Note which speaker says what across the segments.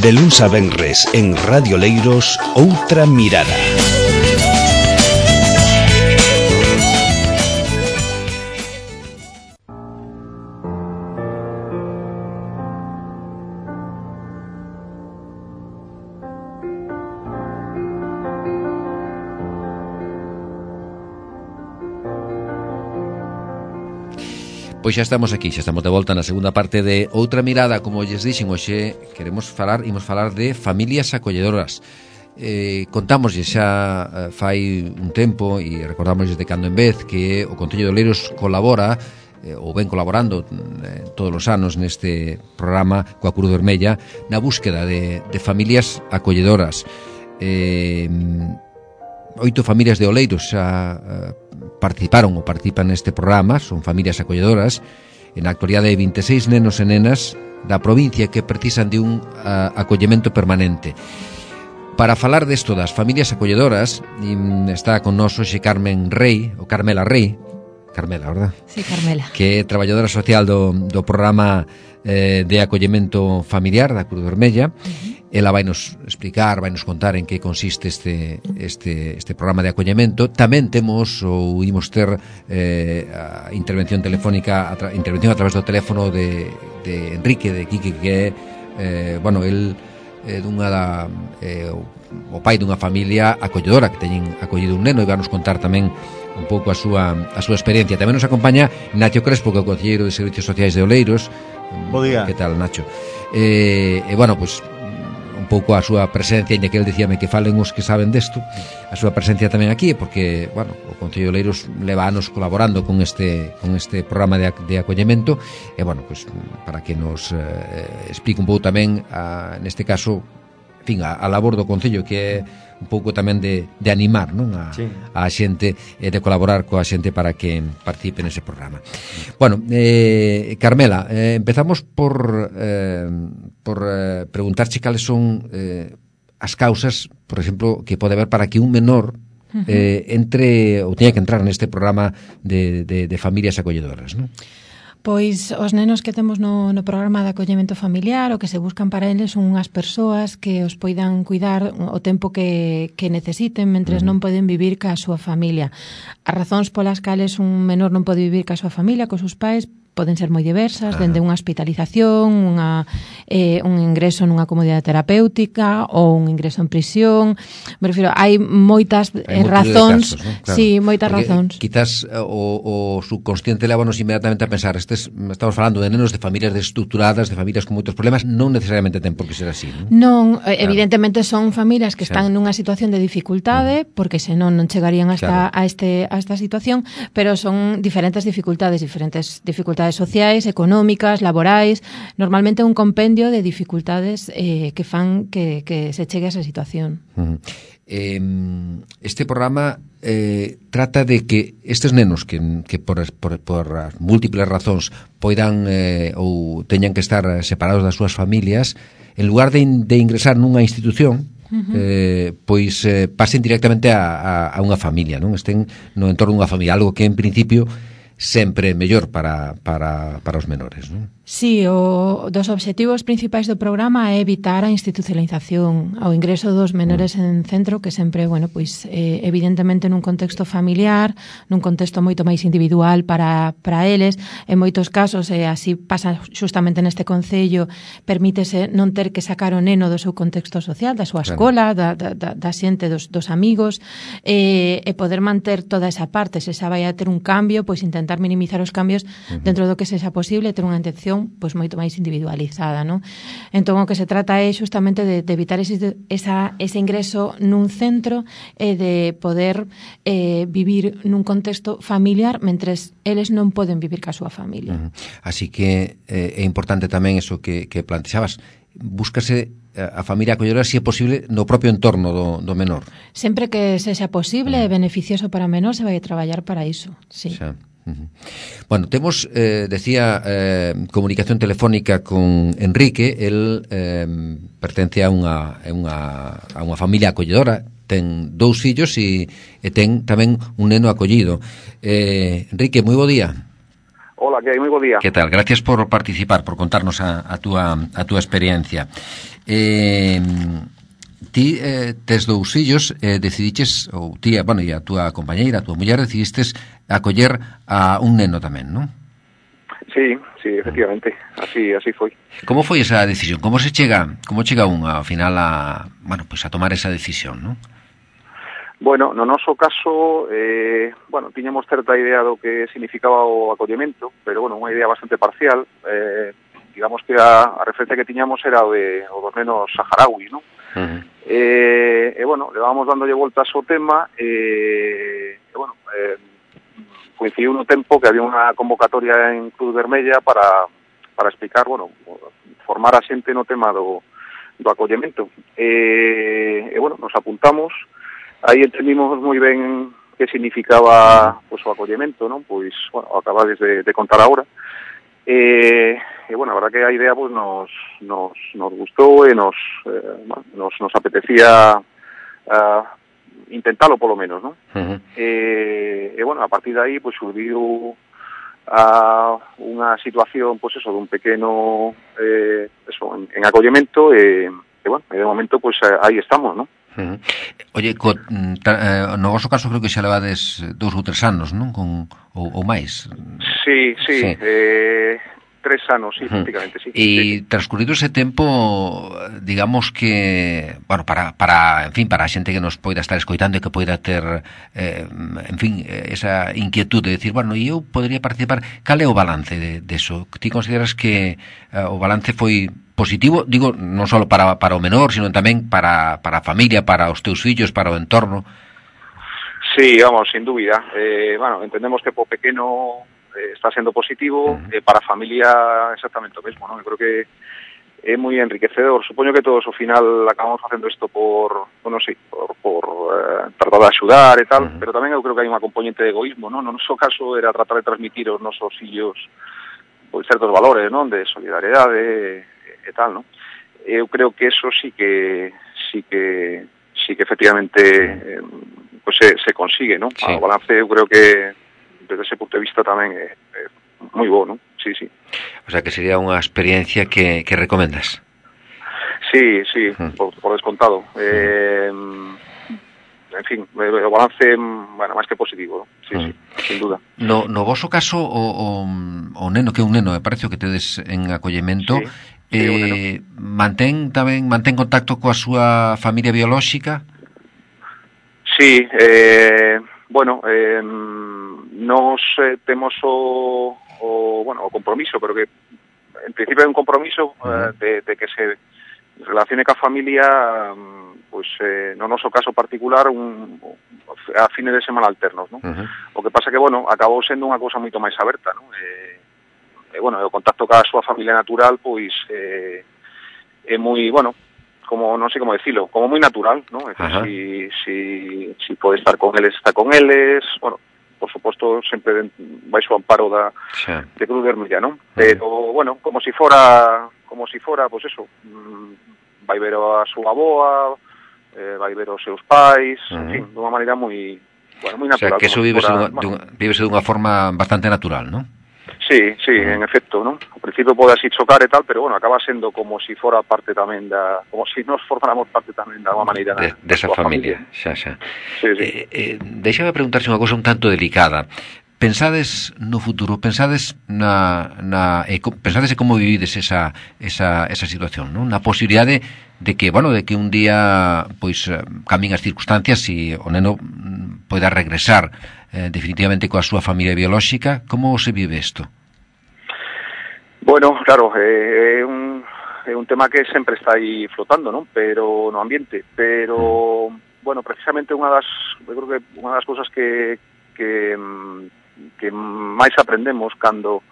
Speaker 1: De luns a venres en Radio Leiros, Outra Mirada.
Speaker 2: Pois xa estamos aquí, xa estamos de volta na segunda parte de Outra Mirada. Como lles dixen, hoxe imos falar de familias acolledoras. Contámoslle xa fai un tempo e recordamos de cando en vez que o Concello de Oleiros colabora ou ven colaborando todos os anos neste programa coa Cruz Vermella na búsqueda de familias acolledoras. 8 familias de Oleiros xa participan neste programa, son familias acolledoras. En a actualidade hai 26 nenos e nenas da provincia que precisan de un acollemento permanente. Para falar desto das familias acolledoras está con nós hoxe Carmela Rey, verdad?
Speaker 3: Sí, Carmela.
Speaker 2: Que é traballadora social do programa de acollemento familiar da Cruz Vermella. Ela vai nos explicar, vai nos contar en que consiste este programa de acollemento. Tamén temos ou imos ter a intervención telefónica, intervención a través do teléfono de Enrique, de Quique, que é el o pai dunha familia acolledora que teñen acollido un neno e vai nos contar tamén un pouco a súa experiencia. Tamén nos acompaña Nacho Crespo, que é o concelleiro de Servicios Sociais de Oleiros.
Speaker 4: Bo día.
Speaker 2: Que tal, Nacho? Un pouco a súa presencia, inda que ele dicíame que falen os que saben desto, a súa presencia tamén aquí, porque, o Concello de Oleiros leva anos colaborando con este programa de acollemento, e, para que nos explique un pouco tamén, neste caso, a labor do Concello, que é un pouco tamén de animar, non? A xente, de colaborar coa xente para que participe nese programa. Carmela, empezamos por preguntarche cales son as causas, por exemplo, que pode haber para que un menor entre ou teña que entrar neste programa de familias acolledoras, non?
Speaker 3: Pois os nenos que temos no programa de acollemento familiar, o que se buscan para eles son unhas persoas que os poidan cuidar o tempo que necesiten mentres non poden vivir ca súa familia. As razóns polas cales un menor non pode vivir ca súa familia, cos seus pais, poden ser moi diversas, dende unha hospitalización, un ingreso nunha comunidade terapéutica ou un ingreso en prisión. Me refiro, hai moitas razóns,
Speaker 2: casos, ¿no? Claro.
Speaker 3: Sí, moitas
Speaker 2: porque
Speaker 3: razóns.
Speaker 2: Quizás o subconsciente levanos inmediatamente a pensar, estamos falando de nenos de familias desestructuradas, de familias con moitos problemas, non necesariamente ten por que ser así,
Speaker 3: non? Claro. Evidentemente son familias que están nunha situación de dificultade, porque senón non chegarían hasta a esta situación, pero son diferentes dificultades sociais, económicas, laborais, normalmente un compendio de dificultades que fan que se chegue a esa situación.
Speaker 2: Este programa trata de que estes nenos que por múltiples razóns poidan ou teñan que estar separados das súas familias, en lugar de ingresar nunha institución, pasen directamente a unha familia, non? Estén no entorno dunha familia, algo que en principio sempre mellor para os menores, non?
Speaker 3: Sí, dos obxectivos principais do programa é evitar a institucionalización, ao ingreso dos menores en centro, que sempre, evidentemente nun contexto familiar, nun contexto moito máis individual para eles, en moitos casos, así pasa justamente neste concello, permítese non ter que sacar o neno do seu contexto social, da súa escola, da xente, dos amigos, e poder manter toda esa parte. Se xa vai a ter un cambio, pois intentar minimizar os cambios dentro do que sexa posible, ter unha atención moito máis individualizada, non? Entón, o que se trata é justamente de evitar ese ingreso nun centro e de poder vivir nun contexto familiar mentres eles non poden vivir ca súa familia.
Speaker 2: Así que é importante tamén eso que plantexabas, búscase a familia acolledora, se é posible, no propio entorno do menor.
Speaker 3: Sempre que sexa posible e beneficioso para o menor, se vai a traballar para iso, sí.
Speaker 2: Xa. Temos, decía, comunicación telefónica con Enrique. El pertence a unha familia acolledora, ten 2 fillos e ten tamén un neno acollido. Enrique, moi bo día.
Speaker 5: Hola, que hai? Moi bo día.
Speaker 2: Que tal? Gracias por participar, por contarnos a túa experiencia. Ti tes dous fillos, decidiches, ou ti, bueno, e a túa compañeira, a túa muller, decidistes acoller a un neno tamén, non?
Speaker 4: Sí, efectivamente, así foi.
Speaker 2: Como foi esa decisión? Como chega un ao final a, bueno, pues a tomar esa decisión, non?
Speaker 4: Bueno, no noso caso, tiñamos certa idea do que significaba o acollemento, pero, unha idea bastante parcial. Digamos que a referencia que tiñamos era o dos nenos saharauis, non?
Speaker 2: Uh-huh.
Speaker 4: Levábamos dándolle voltas ao tema coincidiu no tempo que había unha convocatoria en Cruz Vermella para explicar, formar a xente no tema do acollemento. Nos apuntamos, aí entendimos moi ben que significaba o acollemento, non? Pois, acabades de contar agora. A verdad que a idea nos gustou e nos apetecía intentalo polo menos, non?
Speaker 2: Uh-huh.
Speaker 4: A partir de aí surgiu unha situación dun pequeno en acollemento e de momento aí estamos, non?
Speaker 2: Uh-huh. Oye, no vosso caso creo que xa levades 2 ou 3 anos, non? Ou máis.
Speaker 4: Sí. 3 anos, sí, prácticamente, sí.
Speaker 2: E transcurrido ese tempo, digamos que, para a xente que nos poida estar escoitando e que poida ter, esa inquietud de decir, e eu podría participar, cal é o balance deso? Ti consideras que o balance foi positivo, digo, non só para o menor, sino tamén para a familia, para os teus fillos, para o entorno?
Speaker 4: Sí, sin dúbida. Entendemos que po pequeno está sendo positivo, para a familia exactamente o mesmo, non? Eu creo que é moi enriquecedor. Supoño que todos ao final acabamos facendo isto por tratar de axudar e tal, pero tamén eu creo que hai unha componente de egoísmo, non? No noso caso era tratar de transmitir aos nosos fillos certos valores, non? De solidariedade e tal, non? Eu creo que eso sí que efectivamente se consigue, non?
Speaker 2: Sí.
Speaker 4: O balance eu creo que desde ese punto de vista tamén é moi bo, non? Sí.
Speaker 2: O sea, que sería unha experiencia que recomendas.
Speaker 4: Sí, por descontado. En fin, o balance, máis que positivo, non? Sí, sin duda.
Speaker 2: No voso caso, o neno, que é un neno, me parece que tedes en acollemento, mantén contacto coa súa familia biolóxica?
Speaker 4: Sí, nos temos o compromiso, pero que en principio é un compromiso de que se relacione ca familia, no noso caso particular, a fines de semana alternos, non? O que pasa que, acabou sendo unha cousa moito máis aberta, non? O contacto ca súa familia natural, é moi, como non sei como decirlo, como moi natural, ¿no? Es decir, si pode estar con eles, está con eles, por suposto, sempre vai o amparo de Cruz Vermella, ¿no? Pero, como si fora, pues eso, vai ver a súa aboa, vai ver os seus pais, en fin, dunha maneira moi natural.
Speaker 2: O sea, que eso vívese dunha forma bastante natural, ¿no?
Speaker 4: Sí, en efecto, ¿no? Ao principio pode así chocar e tal, pero acaba sendo como si fora parte tamén como si nos formáramos parte tamén da unha maneira
Speaker 2: desa familia. Xa.
Speaker 4: Sí.
Speaker 2: Deixame preguntarse unha cousa un tanto delicada. Pensades no futuro, pensades pensades como vivides esa situación, non? Na posibilidade de que un día cambien as circunstancias e o neno poida regresar definitivamente coa súa familia biolóxica. Como se vive isto?
Speaker 4: Bueno, claro, é un tema que sempre está aí flotando, non? Pero no ambiente, pero precisamente unha das cousas que máis aprendemos cando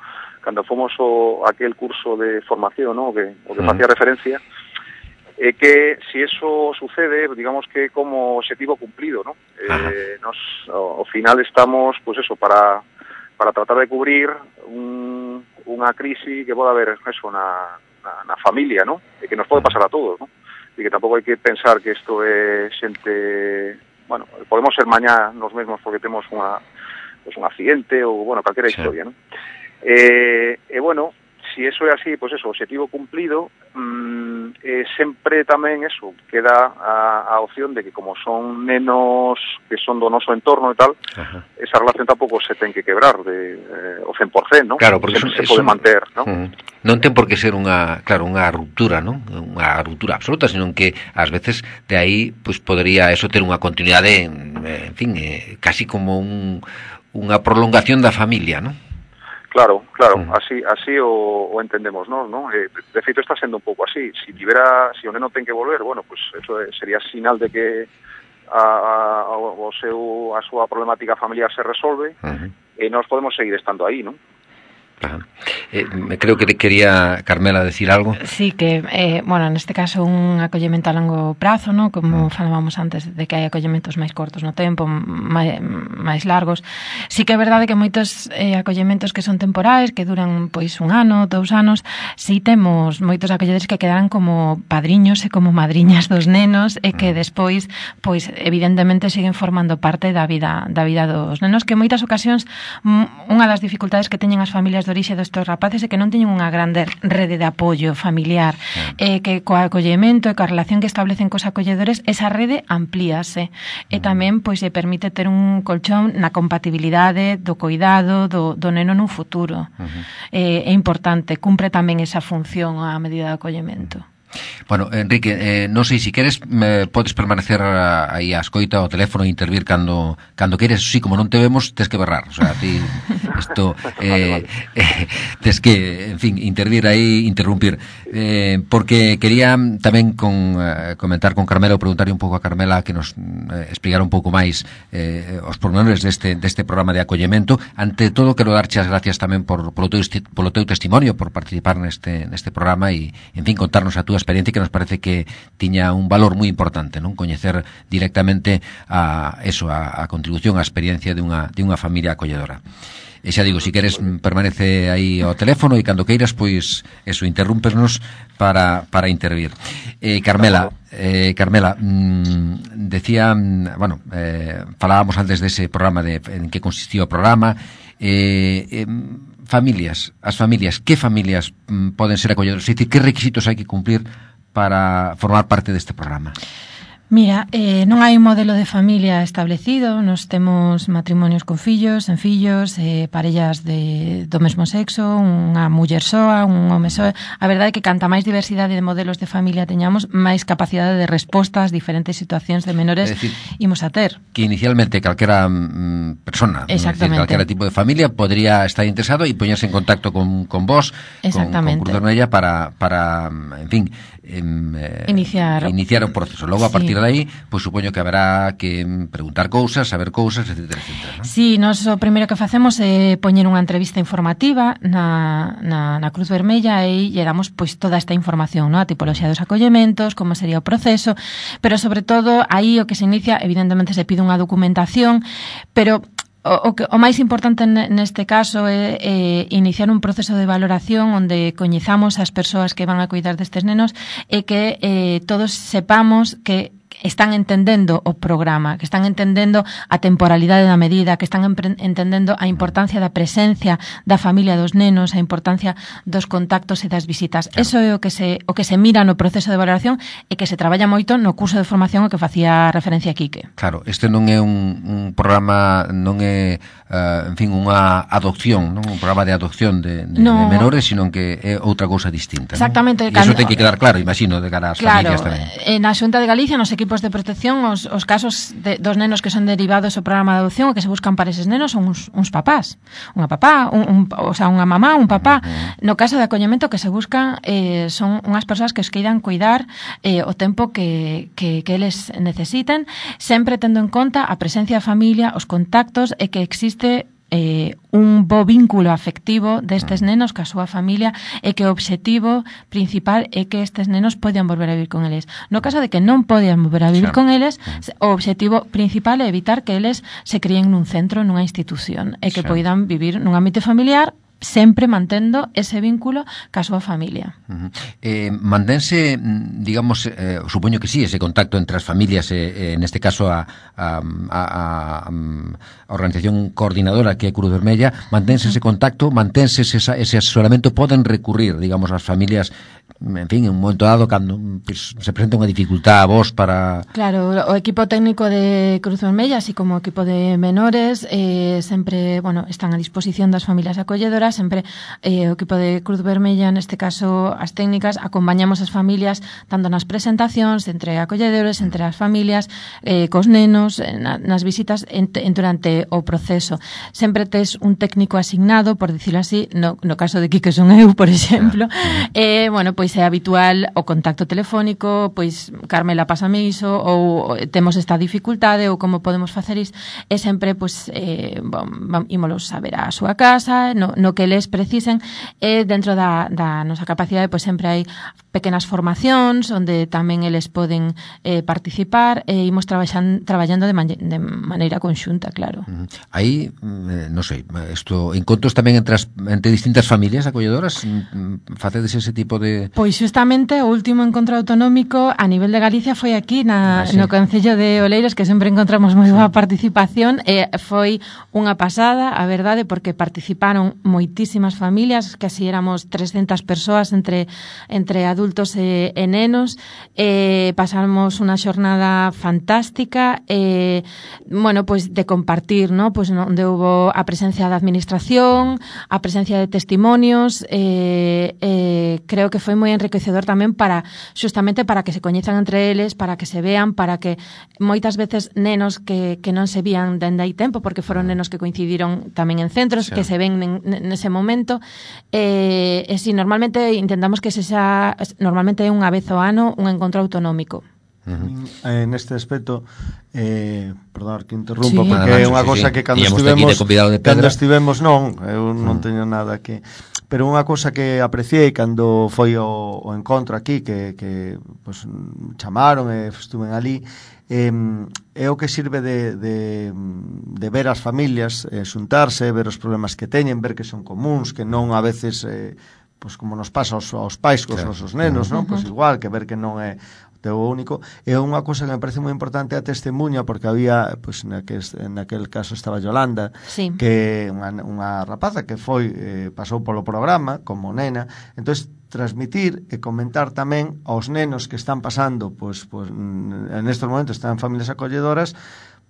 Speaker 4: fomos aquel curso de formación, ¿no? O que facía referencia, é que si eso sucede, digamos que como objetivo cumplido, ¿no? Nos ao final estamos, para tratar de cubrir unha crise que pode haber eso na familia, ¿no? E que nos pode pasar a todos, ¿no? E que tampouco hai que pensar que isto é xente, podemos ser mañá nos mesmos porque temos un accidente ou, calquera historia, ¿no? Si eso é así, objetivo cumplido, sempre tamén eso, queda a opción de que como son nenos que son do noso entorno e tal, esa relación tampouco se ten que quebrar o 100%, non?
Speaker 2: Claro, porque
Speaker 4: se pode manter, non?
Speaker 2: Non ten por que ser unha ruptura, non? Unha ruptura absoluta, sino que ás veces de aí pois podría eso ter unha continuidade, en fin, casi como unha prolongación da familia, non?
Speaker 4: Claro, así o entendemos, non? De feito está sendo un pouco así. Si o neno ten que volver, bueno, pues eso sería sinal de que a súa problemática familiar se resolve e nós podemos seguir estando aí, non?
Speaker 2: Creo que quería Carmela decir algo.
Speaker 3: Sí, que, bueno, neste caso un acollemento a longo prazo, ¿no? Como falábamos antes de que hai acollementos máis cortos no tempo, máis largos. Sí que é verdade que moitos acollementos que son temporais, que duran pois 1 ano, 2 anos, sí temos moitos acolledores que quedan como padriños e como madriñas dos nenos e que despois, pois evidentemente siguen formando parte da vida dos nenos, que en moitas ocasións unha das dificultades que teñen as familias de orixe destes rapaces é que non teñen unha grande rede de apoio familiar, que co acollemento e coa relación que establecen cos acolledores esa rede amplíase e tamén pois lle permite ter un colchón na compatibilidade do coidado do neno nun futuro. É importante, cumpre tamén esa función a medida de acollemento.
Speaker 2: Bueno, Enrique, non sei se queres podes permanecer aí a escoita ao teléfono e intervir cando queres. Sí, como non te vemos, tes que berrar, o sea, ti isto tes que, en fin, intervir aí, interrumpir, porque quería tamén comentar con Carmela ou preguntarle un pouco a Carmela que nos explicara un pouco máis os pormenores deste programa de acollemento. Ante todo, quero darche as gracias tamén polo teu testimonio, por participar neste programa e, en fin, contarnos a túa experiencia, que nos parece que tiña un valor moi importante, non? Coñecer directamente a contribución, a experiencia de unha familia acolledora. E xa digo, se queres, permanece aí ao teléfono e cando queiras, pois, eso, interrúmpenos para intervir. Carmela, decía, bueno, falábamos antes dese programa en que consistía o programa, as familias, que familias poden ser acolledoras? É dicir, que requisitos hai que cumplir para formar parte deste programa?
Speaker 3: Mira, non hai un modelo de familia establecido, nos temos matrimonios con fillos, sen fillos, parellas do mesmo sexo, unha muller soa, un home soa. A verdade é que canta máis diversidade de modelos de familia teñamos, máis capacidade de resposta ás diferentes situacións de menores imos a ter. Que inicialmente calquera persona, calquera tipo de familia podría estar interesado e poñerse en contacto con vos, con Cruz Vermella para, en fin, iniciar o proceso. Logo, a partir de aí, pois supoño que haberá que preguntar cousas, saber cousas, etcétera, ¿no? Sí, nós o primeiro que facemos é poñer unha entrevista informativa na Cruz Vermella e lle damos pois toda esta información, ¿no? A tipoloxía dos acollementos, como sería o proceso, pero sobre todo aí o que se inicia, evidentemente se pide unha documentación, pero o máis importante neste caso é iniciar un proceso de valoración onde coñezamos as persoas que van a cuidar destes nenos e que todos sepamos que están entendendo o programa, que están entendendo a temporalidade da medida, que están entendendo a importancia da presencia da familia dos nenos, a importancia dos contactos e das visitas. Claro. Eso é o que se mira no proceso de valoración e que se traballa moito no curso de formación ao que facía referencia Quique. Claro, este non é un programa, non é, en fin, unha adopción, non un programa de adopción de menores, sino que é outra cousa distinta. Exactamente. E iso ten que quedar claro, imagino, de cara ás familias tamén. Claro, na Xunta de Galicia, nos equipos de protección, os casos dos nenos que son derivados ao programa de adopción, o que se buscan para eses nenos son uns papás, unha papá, o sea, unha mamá, un papá. No caso de acollemento, que se buscan son unhas persoas que os queiran cuidar o tempo que eles necesiten, sempre tendo en conta a presencia da familia, os contactos e que existe un bo vínculo afectivo destes nenos ca súa familia e que o obxectivo principal é que estes nenos podan volver a vivir con eles. No caso de que non podan volver a vivir con eles, o obxectivo principal é evitar que eles se críen nun centro, nunha institución, e que poidan vivir nun ámbito familiar sempre mantendo ese vínculo ca súa familia.
Speaker 2: Mantense, digamos, supoño que sí, ese contacto entre as familias, neste caso a organización coordinadora que é Cruz Vermella, mantense ese contacto, mantense ese asesoramento, poden recurrir, digamos, as familias, en fin, en un momento dado, cando se presenta unha dificultad a vos para...
Speaker 3: Claro, o equipo técnico de Cruz Vermella, así como o equipo de menores, sempre, bueno, están a disposición das familias acolledoras, sempre o equipo de Cruz Vermella, neste caso as técnicas, acompañamos as familias tanto nas presentacións entre acolledores, entre as familias, cos nenos, nas visitas durante o proceso. Sempre tes un técnico asignado, por dicirlo así, no caso de que son eu, por exemplo, bueno, pois é habitual o contacto telefónico, pois Carmela, pásame iso, ou temos esta dificultade, ou como podemos facer iso, e sempre, pois, ímolos a ver a súa casa, no que les precisen, e dentro da nosa capacidade, pois sempre hai pequenas formacións onde tamén eles poden participar, e imos traballando de maneira conxunta, claro.
Speaker 2: Aí, non sei, encontros tamén entre distintas familias acolledoras, facedes ese tipo de...
Speaker 3: Pois xustamente o último encontro autonómico a nivel de Galicia foi aquí no Concello de Oleiros, que sempre encontramos moi boa participación, e foi unha pasada, a verdade, porque participaron moitísimas familias, que así éramos 300 persoas entre adultos e nenos, pasamos unha xornada fantástica, bueno, pois de compartir, ¿no? Pois onde houbo a presencia da administración, a presencia de testimonios, creo que foi moi enriquecedor tamén xustamente para que se coñezan entre eles, para que se vean, para que moitas veces nenos que non se vían dende hai tempo, porque foron nenos que coincidiron tamén en centros, que se ven nese momento, e si normalmente intentamos que normalmente é unha vez ao ano un encontro autonómico.
Speaker 5: Neste aspecto, perdón que interrumpa, porque é unha cosa que cando estivemos non, eu non teño nada que... Pero unha cosa que apreciei cando foi o encontro aquí, que pues, chamaron e estuven ali, é o que sirve de ver as familias, xuntarse, ver os problemas que teñen, ver que son comuns, que non a veces, pues, como nos pasa aos pais cos nosos nenos, non? Pues igual, que ver que non é teu único. É unha cosa que me parece moi importante a testemunha, porque había, pues, naquel caso estaba Yolanda, sí, que unha rapaza que pasou polo programa como nena, entonces transmitir e comentar tamén aos nenos que están pasando, pues en estes momentos están en familias acolledoras,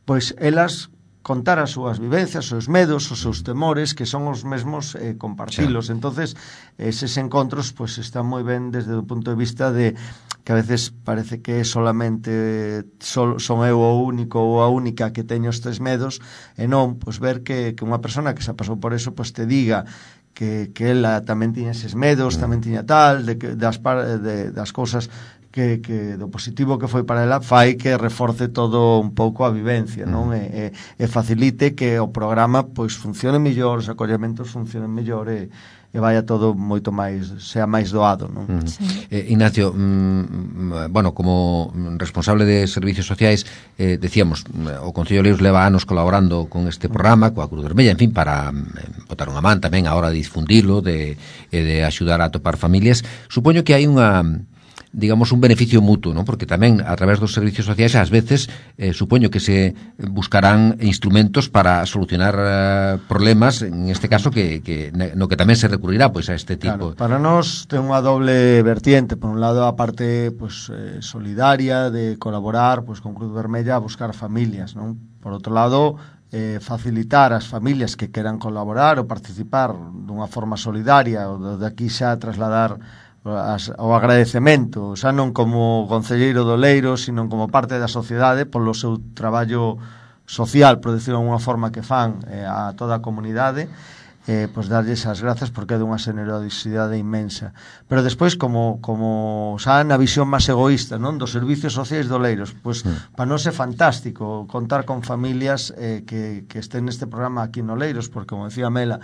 Speaker 5: pues elas contar as súas vivencias, os seus medos, os seus temores, que son os mesmos, compartilos. Sí. Entonces, eses encontros pues están moi ben desde o punto de vista de que a veces parece que solamente son eu o único ou a única que teño estes medos, e non, pues ver que unha persona que xa pasou por eso, pues te diga que ela tamén tiña eses medos, tamén tiña tal, das cousas que do positivo que foi para ela fai que reforce todo un pouco a vivencia, non? E facilite que o programa pois funcione mellor, os acollementos funcionen mellor e vaya todo moito máis, sea máis doado, non?
Speaker 3: Sí.
Speaker 2: Ignacio, bueno, como responsable de servicios sociais, decíamos, o Concello de Oleiros leva anos colaborando con este programa, coa Cruz Vermella, en fin, para botar unha man tamén a hora de difundilo, de axudar a atopar familias. Supoño que hai digamos, un beneficio mutuo, ¿no? Porque tamén, a través dos servicios sociais, ás veces, supoño que se buscarán instrumentos para solucionar problemas, en este caso, no que tamén se recurrirá, pois, a este tipo.
Speaker 5: Claro, para nós ten unha doble vertiente. Por un lado, a parte, pues, solidaria, de colaborar, pues, con Cruz Vermella a buscar familias, ¿non? Por outro lado, facilitar as familias que queran colaborar ou participar dunha forma solidaria, ou de aquí xa trasladar o agradecemento, xa non como concelleiro do Oleiros, sino como parte da sociedade polo seu traballo social, por decirlo de alguna forma, que fan a toda a comunidade, pois darlles as grazas porque é dunha generosidade inmensa. Pero despois, como xa na visión máis egoísta, non, dos servicios sociais do Oleiros, pois para nós é fantástico contar con familias que estén neste programa aquí no Oleiros, porque, como decía Mela,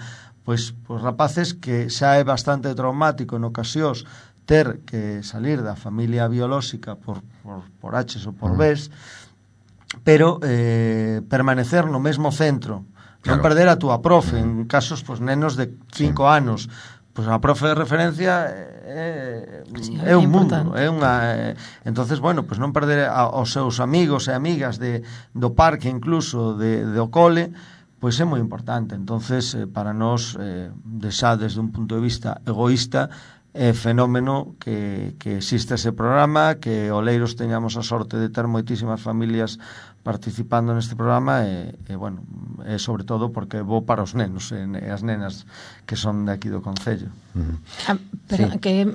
Speaker 5: pois rapaces que xa é bastante traumático en ocasións ter que salir da familia biolóxica por H ou por B, pero permanecer no mesmo centro non perder a túa profe, en casos, pois, nenos de 5 anos, pois a profe de referencia é un mundo, é unha entonces, bueno, pois non perder aos seus amigos e amigas do parque, incluso do cole, pois é moi importante. Entonces, para nós, xa desde un punto de vista egoísta, é fenómeno que existe ese programa, que Oleiros teñamos a sorte de ter moitísimas familias participando neste programa e bueno, é sobre todo porque é bo para os nenos e as nenas que son de aquí do Concello.
Speaker 3: Pero sí, que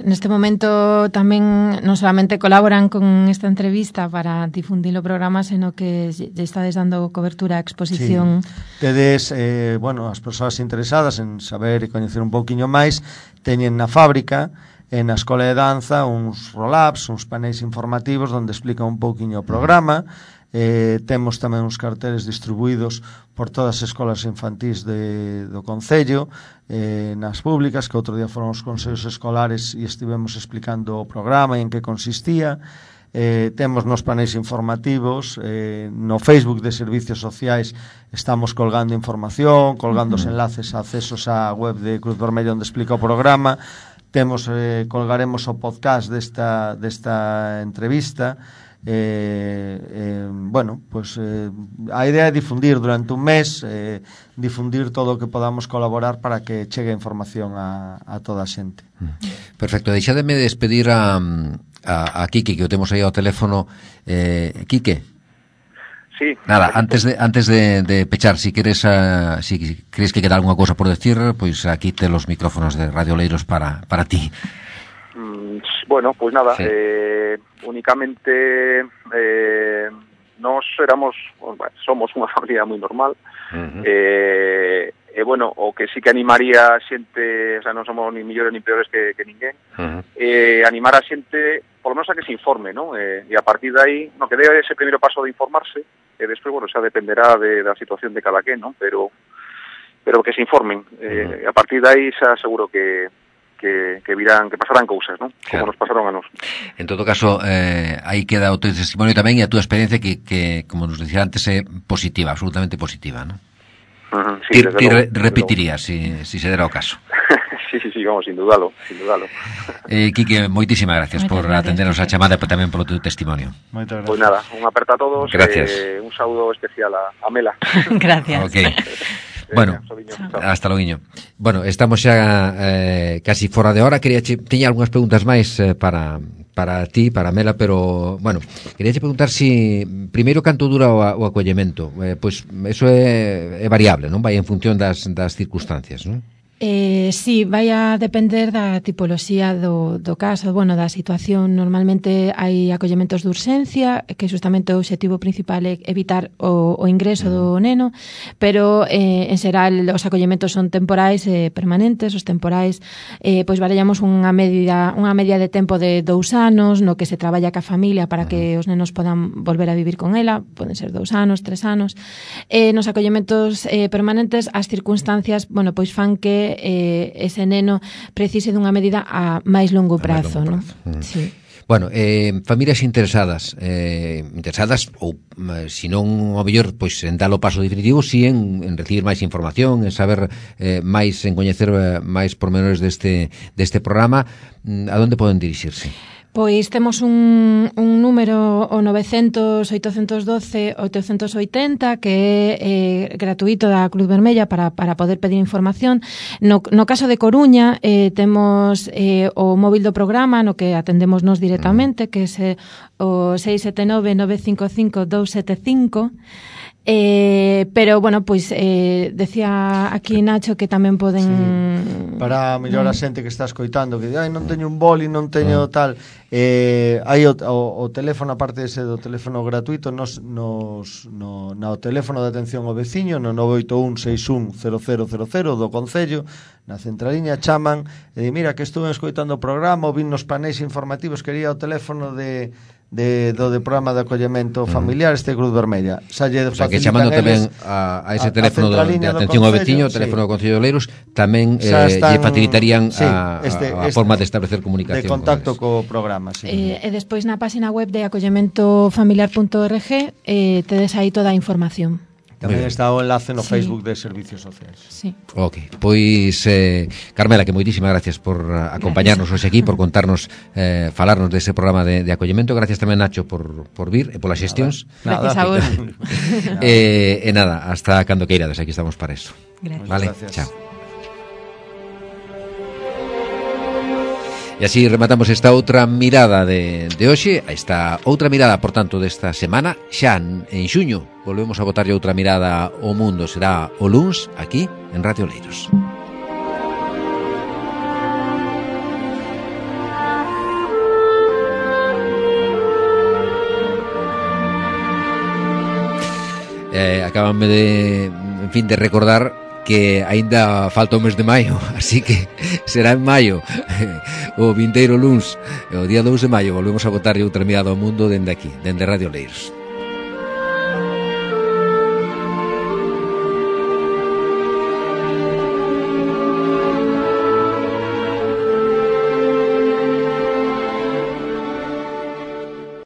Speaker 3: neste momento tamén non solamente colaboran con esta entrevista para difundir o programa, sino que lle estades dando cobertura á exposición.
Speaker 5: Sí. Tedes, bueno, as persoas interesadas en saber e coñecer un pouquiño máis, teñen na fábrica e na Escola de Danza uns roll-ups, uns paneis informativos onde explica un pouquiño o programa. Temos tamén uns carteles distribuídos por todas as escolas infantís do Concello, nas públicas, que outro día foron os consellos escolares e estivemos explicando o programa e en que consistía. Temos nos paneis informativos, no Facebook de Servicios Sociais estamos colgando información, colgando os enlaces a accesos á web de Cruz Vermella onde explica o programa. Temos, colgaremos o podcast desta entrevista. Bueno, pues a idea é difundir durante un mes, difundir todo o que podamos colaborar para que chegue a información a toda a xente.
Speaker 2: Perfecto, deixademe despedir a Quique, que o temos aí ao teléfono. Quique.
Speaker 4: Sí.
Speaker 2: Nada, antes de pechar, si crees que queda alguna cosa por decir, pois aquí te los micrófonos de Radio Oleiros para ti.
Speaker 4: Bueno, pues nada,
Speaker 2: sí.
Speaker 4: Únicamente nos somos unha familia moi normal. Bueno, o que sí que animaría a xente, o sea, non somos ni millores ni peores que ninguén, animar a xente, por lo menos a que se informe, ¿no? E a partir de aí, no, que dé ese primeiro paso de informarse, e despois, bueno, xa dependerá da situación de cada quen, ¿no? Pero que se informen. A partir de aí xa seguro que pasarán cousas, ¿no? Como nos pasaron a nos.
Speaker 2: En todo caso, aí queda o teu testimonio tamén e a túa experiencia que como nos dicía antes, é positiva, absolutamente positiva, ¿no?
Speaker 4: Sí,
Speaker 2: ti repetirías si se dera o caso.
Speaker 4: Sí, vamos, sin dudalo.
Speaker 2: Quique, moitísimas gracias por atendernos a chamada e tamén polo teu testimonio.
Speaker 5: Moitas gracias.
Speaker 4: Pois nada, un aperta a todos.
Speaker 2: Gracias.
Speaker 4: Un saúdo especial a Mela.
Speaker 3: Gracias.
Speaker 2: Okay. Bueno, hasta loguiño. Bueno, estamos xa casi fora de hora. Teña algunhas preguntas máis para ti, para Mela, pero, bueno, queríache preguntar si primeiro canto dura o acollemento. Pois eso é variable, non? Vai en función das circunstancias, non?
Speaker 3: Sí, vai a depender da tipoloxía do caso, bueno, da situación. Normalmente hai acollementos de urxencia, que justamente o obxectivo principal é evitar o ingreso do neno, pero en xeral os acollementos son temporais e permanentes. Os temporais, pois barallamos unha media de tempo de 2 anos, no que se traballa ca familia para que os nenos podan volver a vivir con ela, poden ser 2 anos, 3 anos. Nos acollementos permanentes, as circunstancias, bueno, pois fan que ese neno precise dunha medida a máis longo prazo, non? Sí.
Speaker 2: Bueno, familias interesadas ou se non ao mellor pois en dar o paso definitivo, si en recibir máis información, en saber máis, en coñecer máis pormenores deste programa, a onde poden dirixirse?
Speaker 3: Pois temos un número, o 900-812-880, que é gratuito da Cruz Vermella para poder pedir información. No caso de Coruña, temos o móvil do programa, no que atendemos nos directamente, que é o 679-955-275. Pero, bueno, pois decía aquí Nacho que tamén poden...
Speaker 5: Sí. Para mellor a xente que está escoitando, que non teño un boli, non teño tal... hai o teléfono, aparte dese do teléfono gratuito, no teléfono de atención ao veciño, no 981-61-0000 do Concello, na centraliña chaman e di, mira, que estuve escoitando o programa, vin nos paneis informativos, quería o teléfono do programa de acollemento familiar Cruz Vermella. O sea,
Speaker 2: que chamando tamén a ese teléfono de atención ao veciño, o teléfono do Concello de Oleiros, tamén lle facilitarían a forma de establecer comunicación.
Speaker 5: De contacto co programa, sí.
Speaker 3: E despois na página web de acollementofamiliar.org tedes aí toda a información.
Speaker 5: Tamén está o enlace no Facebook de Servicios Sociais.
Speaker 3: Sí.
Speaker 2: Ok, pois Carmela, que moitísimas gracias por acompañarnos hoxe aquí, por contarnos, falarnos dese programa de acollemento. Gracias tamén, Nacho, por vir e polas xestións.
Speaker 3: Gracias a vos.
Speaker 2: E nada, hasta cando queirades, aquí estamos para eso.
Speaker 3: Gracias.
Speaker 2: Vale,
Speaker 5: gracias.
Speaker 2: chao. E así rematamos esta outra mirada de hoxe, esta outra mirada, por tanto, desta semana. Xa en xuño volvemos a botarlle outra mirada ao mundo, será o luns aquí en Radio Oleiros. Acábanme de recordar que aínda falta o mes de maio, así que será en maio, o vindeiro luns, o día 2 de maio, volvemos a botarlle outra mirada ao mundo dende aquí, dende Radio Oleiros.